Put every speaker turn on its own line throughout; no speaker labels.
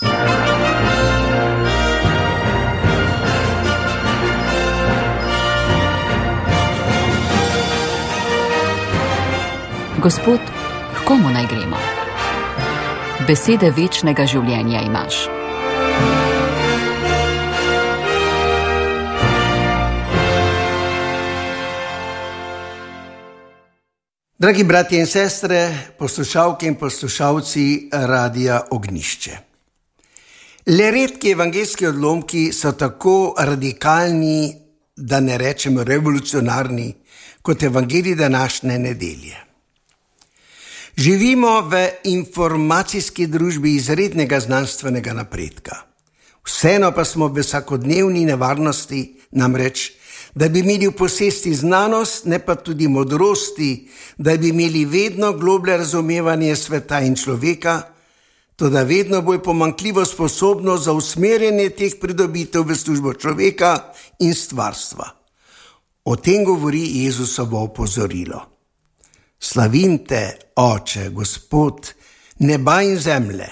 Gospod, k komu naj gremo? Besede večnega življenja imaš.
Dragi bratje in sestre, poslušalke in poslušalci Radia Ognjišče. Le redki evangeljski odlomki so tako radikalni, da ne rečemo revolucionarni, kot evangelij današnje nedelje. Živimo v informacijski družbi izrednega znanstvenega napredka. Vseeno pa smo v vsakodnevni nevarnosti, namreč, da bi imeli v posesti znanost, ne pa tudi modrosti, da bi imeli vedno globlje razumevanje sveta in človeka, toda vedno bolj pomanjkljivo sposobnost za usmerjanje teh pridobitev v službo človeka in stvarstva. O tem govori Jezusovo opozorilo. Slavim te, Oče, Gospod, neba in zemlje,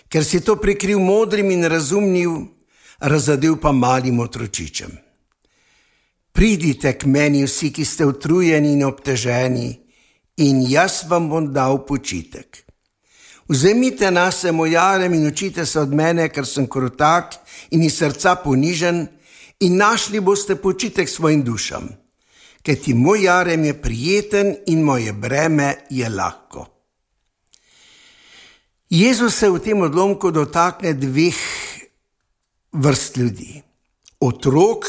ker si to prikril modrim in razumnim, razadel pa malim otročičem. Pridite k meni vsi, ki ste utrujeni in obteženi, in jaz vam bom dal počitek. Vzemite nase moj jarem in učite se od mene, ker sem krotak in iz srca ponižen, in našli boste počitek svojim dušam. Kajti moj jarem je prijeten in moje breme je lahko. Jezus se v tem odlomku dotakne dveh vrst ljudi. Otrok,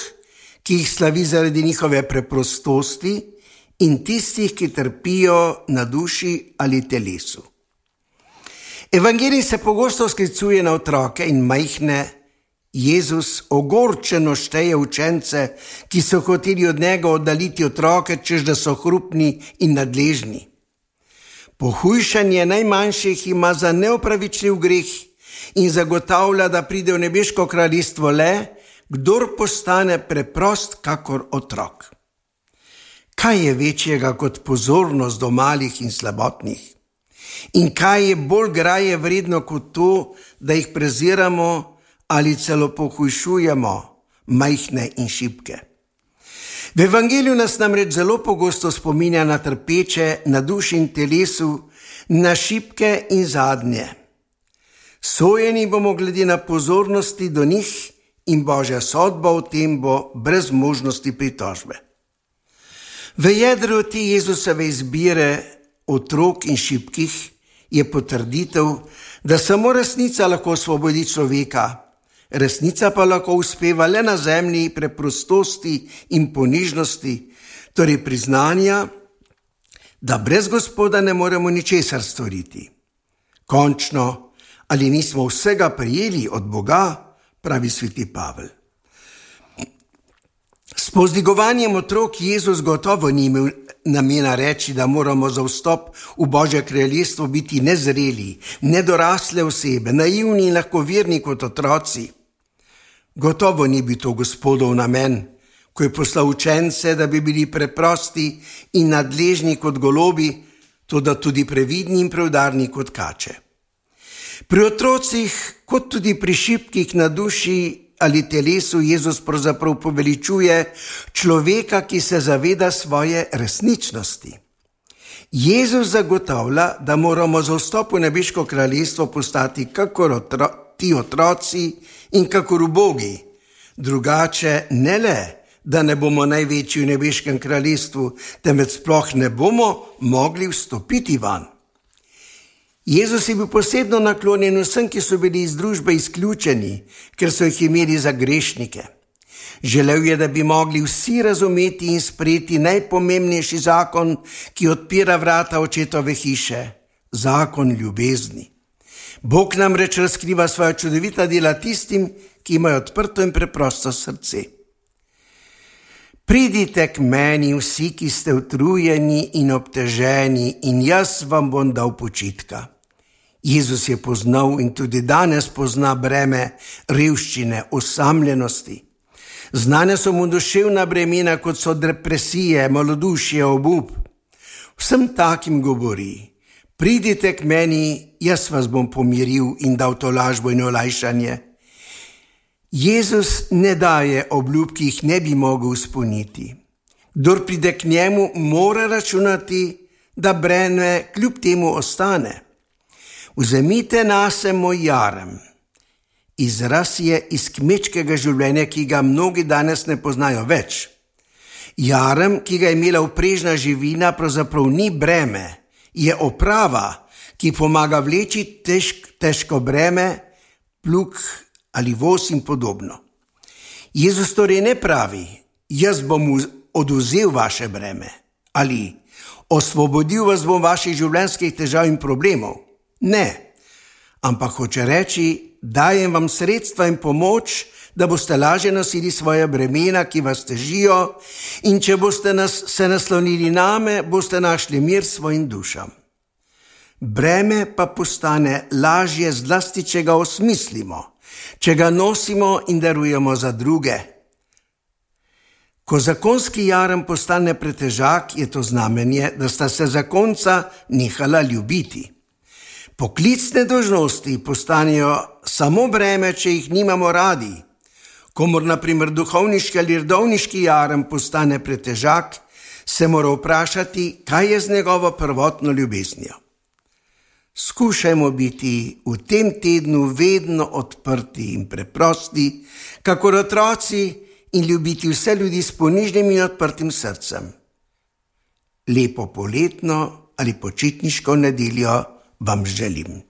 ki jih slavi zaradi njihove preprostosti, in tistih, ki trpijo na duši ali telesu. Evangelij se pogosto sklicuje na otroke in majhne. Jezus ogorčeno šteje učence, ki so hoteli od njega oddaliti otroke, češ da so hrupni in nadležni. Pohujšanje najmanjših ima za neopravičljiv greh in zagotavlja, da pride v nebeško kraljestvo le, kdor postane preprost kakor otrok. Kaj je večjega kot pozornost do malih in slabotnih? In kaj je bolj graje vredno kot to, da jih preziramo ali celo pohujšujemo, majhne in šibke? V evangeliju nas namreč zelo pogosto spominja na trpeče, na duši in telesu, na šibke in zadnje. Sojeni bomo glede na pozornosti do njih in Božja sodba v tem bo brez možnosti pritožbe. V jedru te Jezusove izbire otrok in šibkih je potrditev, da samo resnica lahko osvobodi človeka. Resnica pa lahko uspeva le na zemlji preprostosti in ponižnosti, torej priznanja, da brez Gospoda ne moremo ničesar storiti. Končno, ali nismo vsega prijeli od Boga, pravi sveti Pavel. S povzdigovanjem otrok Jezus gotovo ni imel namena reči, da moramo za vstop v Božje kraljestvo biti nezreli, nedorasle osebe, naivni in lahkoverni kot otroci. Gotovo ni bil to Gospodov namen, ko je poslal učence, da bi bili preprosti in nadležni kot golobi, toda tudi previdni in preudarni kot kače. Pri otrocih, kot tudi pri šibkih na duši ali telesu, Jezus pravzaprav poveličuje človeka, ki se zaveda svoje resničnosti. Jezus zagotavlja, da moramo za vstop v nebeško kraljestvo postati kakor ti otroci in kakor ubogi. Drugače ne le, da ne bomo največji v nebeškem kraljestvu, temveč sploh ne bomo mogli vstopiti van. Jezus je bil posebno naklonjen vsem, ki so bili iz družbe izključeni, ker so jih imeli za grešnike. Želel je, da bi mogli vsi razumeti in sprejeti najpomembnejši zakon, ki odpira vrata očetove hiše, zakon ljubezni. Bog namreč razkriva svoja čudovita dela tistim, ki imajo odprto in preprosto srce. Pridite k meni vsi, ki ste utrujeni in obteženi, in jaz vam bom dal počitka. Jezus je poznal in tudi danes pozna breme revščine, osamljenosti. Znane so mu duševna bremena, kot so depresije, malodušje, obup. Vsem takim govori: Pridite k meni, jaz vas bom pomiril in dal tolažbo in olajšanje. Jezus ne daje obljub, ki jih ne bi mogel izpolniti. Kdor pride k njemu, mora računati, da breme kljub temu ostane. Vzemite nase moj jarem. Izraz je iz kmečkega življenja, ki ga mnogi danes ne poznajo več. Jarem, ki ga je imela vprežna živina, pravzaprav ni breme, je oprava, ki pomaga vleči težko breme, plug ali voz in podobno. Jezus torej ne pravi, jaz bom odvzel vaše breme ali osvobodil vas bom vaših življenjskih težav in problemov. Ne, ampak hoče reči, dajem vam sredstva in pomoč, da boste lažje nosili svoje bremena, ki vas težijo, in če boste se naslonili name, boste našli mir svojim dušam. Breme pa postane lažje zlasti, če ga osmislimo, če ga nosimo in darujemo za druge. Ko zakonski jarem postane pretežak, je to znamenje, da sta se zakonca nehala ljubiti. Poklicne dolžnosti postanejo samo breme, če jih nimamo radi. Komor na primer duhovniški ali redovniški jarem postane pretežak, se mora vprašati, kaj je z njegovo prvotno ljubeznijo. Skušajmo biti v tem tednu vedno odprti in preprosti, kakor otroci, in ljubiti vse ljudi s ponižnim in odprtim srcem. Lepo poletno ali počitniško nedeljo vam želim.